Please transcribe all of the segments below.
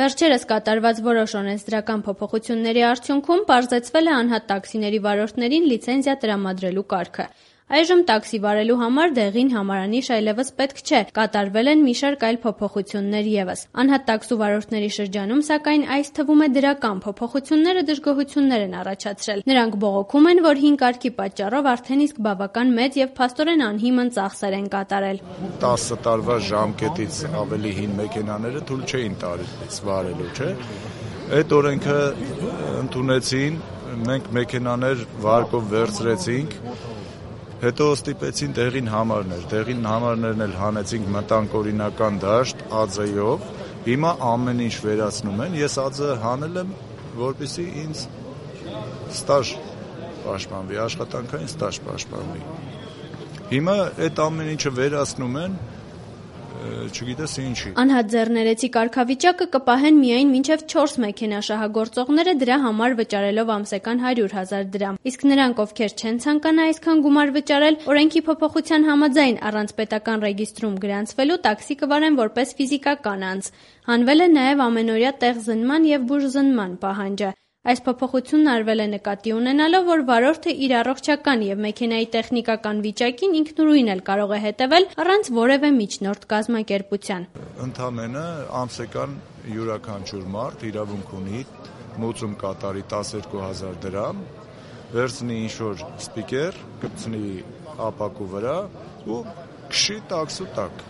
Վերջերս կատարված որոշ օրենսդրական փոփոխությունների արդյունքում պարզեցվել է անհատ տաքսիների վարորդներին լիցենզիա տրամադրելու կարգը։ Այժմ տաքսի վարելու համար դեղին համարանիշ այլևս պետք չէ, կատարվել են մի շարք այլ փոփոխություններ ևս։ Անհատ տաքսու վարորդների շրջանում, սակայն, այս թվում է դրական փոփոխությունները դժգոհություններ են առաջացրել։ Նրանք բողոքում են, որ հին կարգի պատճառով արդեն իսկ բավական մեծ եւ փաստորեն անհիմն ծախսեր են կատարել։ 10 տարվա ժամկետից ավելի հին մեքենաները թույլ չէին տալիս վարելու, չէ՞։ Այդ օրենքը ընդունեցին, մենք մեքենաներ վարկով վերցրեցինք, հետո ստիպեցին դեղին համարներ, դեղին համարներն էլ հանեցինք, մտանք օրինական դաշտ ԱՁ-ով, հիմա ամեն ինչ վերացնում են, ես ԱԶ հանել եմ, որպեսզի ինձ ստաժ պաշտպանվի, աշխատանքային ստաժ պաշտպանվի։ Հիմա այդ ամեն ինչը վերացնում են, չգիտես ինչի։ Անհատ ձեռներեցի կարգավիճակը կպահեն միայն մինչև 4 մեքենա շահագործողները դրա համար վճարելով ամսական 100,000 դրամ։ Իսկ նրանք, ովքեր չեն ցանկանա այսքան գումար վճարել, օրենքի փոփոխության համաձայն առանց պետական ռեգիստրում գրանցվելու տաքսի կվարեն որպես ֆիզիկական անձ։ Հանվել է նաև ամենօրյա տեղզնման եւ բուժզնման պահանջը։ Այս փոփոխությունն արվել է նկատի ունենալով, որ վարորդը իր առողջական եւ մեքենայի տեխնիկական վիճակին ինքնուրույն էլ կարող է հետեւել առանց որևէ միջնորդ կազմակերպության։ Ընդամենը ամսական յուրաքանչյուր մարդ իրավունք ունի մուծում կատարի 12,000 դրամ, վերցնի ինչ-որ սպիկեր, գցնի ապակու վրա ու քշի տաքսու տակ։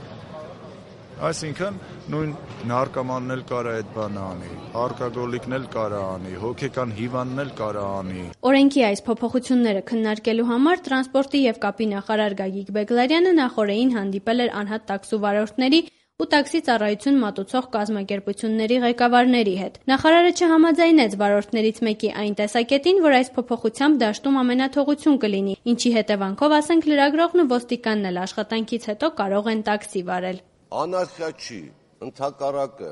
Այսինքն նույն նարկոմանն էլ կարա այդ բանը անի, ալկոգոլիկն էլ կարա անի, հոգեկան հիվանդն էլ կարա անի։ Օրենքի այս փոփոխությունները քննարկելու համար տրանսպորտի եւ կապի նախարար Գագիկ Բեգլարյանը նախօրեին հանդիպել էր անհատ տաքսու վարորդների ու տաքսի ծառայություն մատուցող կազմակերպությունների ղեկավարների հետ։ Նախարարը չհամաձայնեց վարորդներից մեկի այն տեսակետին, որ այս փոփոխությամբ դաշտում ամենաթողություն կլինի, ինչի հետևանքով, ասենք, լրագրողն ու ոստիկանն էլ աշխատանքից հետո կարող են տաքսի վարել։ Անարխիա չի, ընդհակառակը,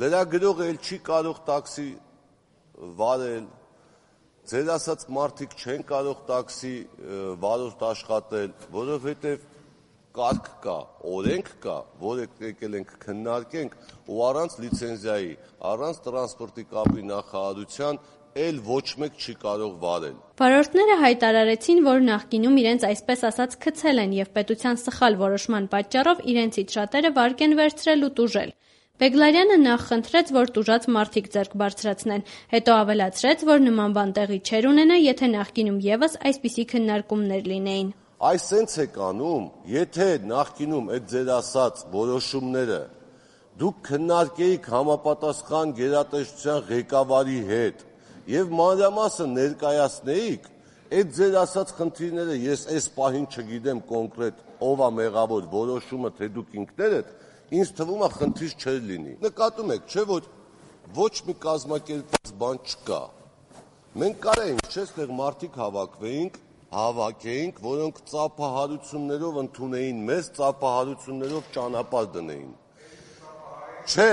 լրագրողը էլ չի կարող տաքսի վարել, ձեր ասած մարդիկ չեն կարող տաքսի վարորդ աշխատել, որովհետև կարգ կա, օրենք կա, որը եկել ենք քննարկենք ու առանց լիցենզիայի, առանց տրանսպորտի կապի նախարարության էլ ոչ մեկ չի կարող վարել։ Վարորդները հայտարարեցին, որ նախկինում իրենց այսպես ասած քցել են եւ պետության սխալ որոշման պատճառով իրենցից շատերը վարկ են վերցրել ու տուժել։ Բեգլարյանը նախ խնդրեց, որ տուժած մարդիկ ձեռք բարձրացնեն, հետո ավելացրեց, որ նման բան տեղի չէր ունենա, եթե նախկինում եւս այսպիսի քննարկումներ լինեին։ Այս սենց եք անում, եթե նախկինում այդ ձեր ասած որոշումները դուք քննարկեիք համապատասխան գերատեսչության ղեկավարի հետ եւ մանրամասը ներկայացնեիք, այդ ձեր ասած խնդիրները ես այս պահին չգիտեմ կոնկրետ ով է մեղավոր որոշումը, թե դուք ինքներդ, ինձ թվում է խնդիր չէր լինի։ Նկատում եք, չէ՞ որ ոչ մի կազմակերպված բան չկա։ Մենք կարայինք, չէ՞, այդտեղ մարդիկ հավաքեինք, որոնք ծափահարություններով ընդունեին մեզ, ծափահարություններով ճանապարհ դնեին։ Չէ,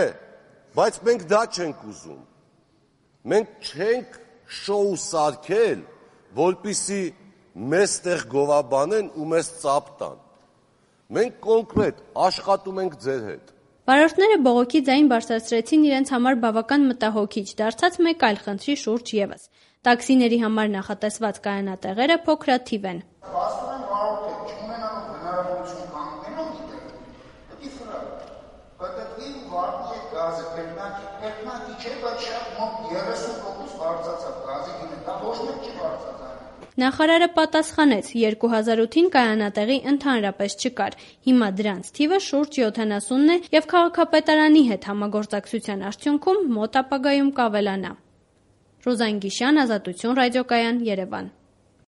բայց մենք դա չենք ուզում։ Մենք չենք շոու սարքել, որպեսզի մեզ տեղ գովաբանեն ու մեզ ծափ տան։ Մենք կոնկրետ աշխատում ենք ձեր հետ։ Վարորդները բողոքի ձայն բարձրացրեցին իրենց համար բավական մտահոգիչ դարձած մեկ այլ խնդրի շուրջ եւս։ Տաքսիների համար նախատեսված կայանատեղերը փոքրաթիվ են։ Փաստորեն վարորդը չունենալով հնարավորություն կանգնելու դիտել, դիտի ֆրա։ Պատկերին վարդի գազը կերնակի չէ, բայց շատ մոտ 30% բարձրացավ գազի գինը, դա ոչ մեկ չի բարձրացել։ Նախարարը պատասխանեց, 2008-ին կայանատեղի ընդհանրապես չկար։ Հիմա դրանց թիվը շուրջ 70-ն է եւ քաղաքապետարանի հետ համագործակցության արդյունքում մոտ ապագայում կավելանա։ Ռուզան Գիշյան, Ազատություն ռադիոկայան, Երևան։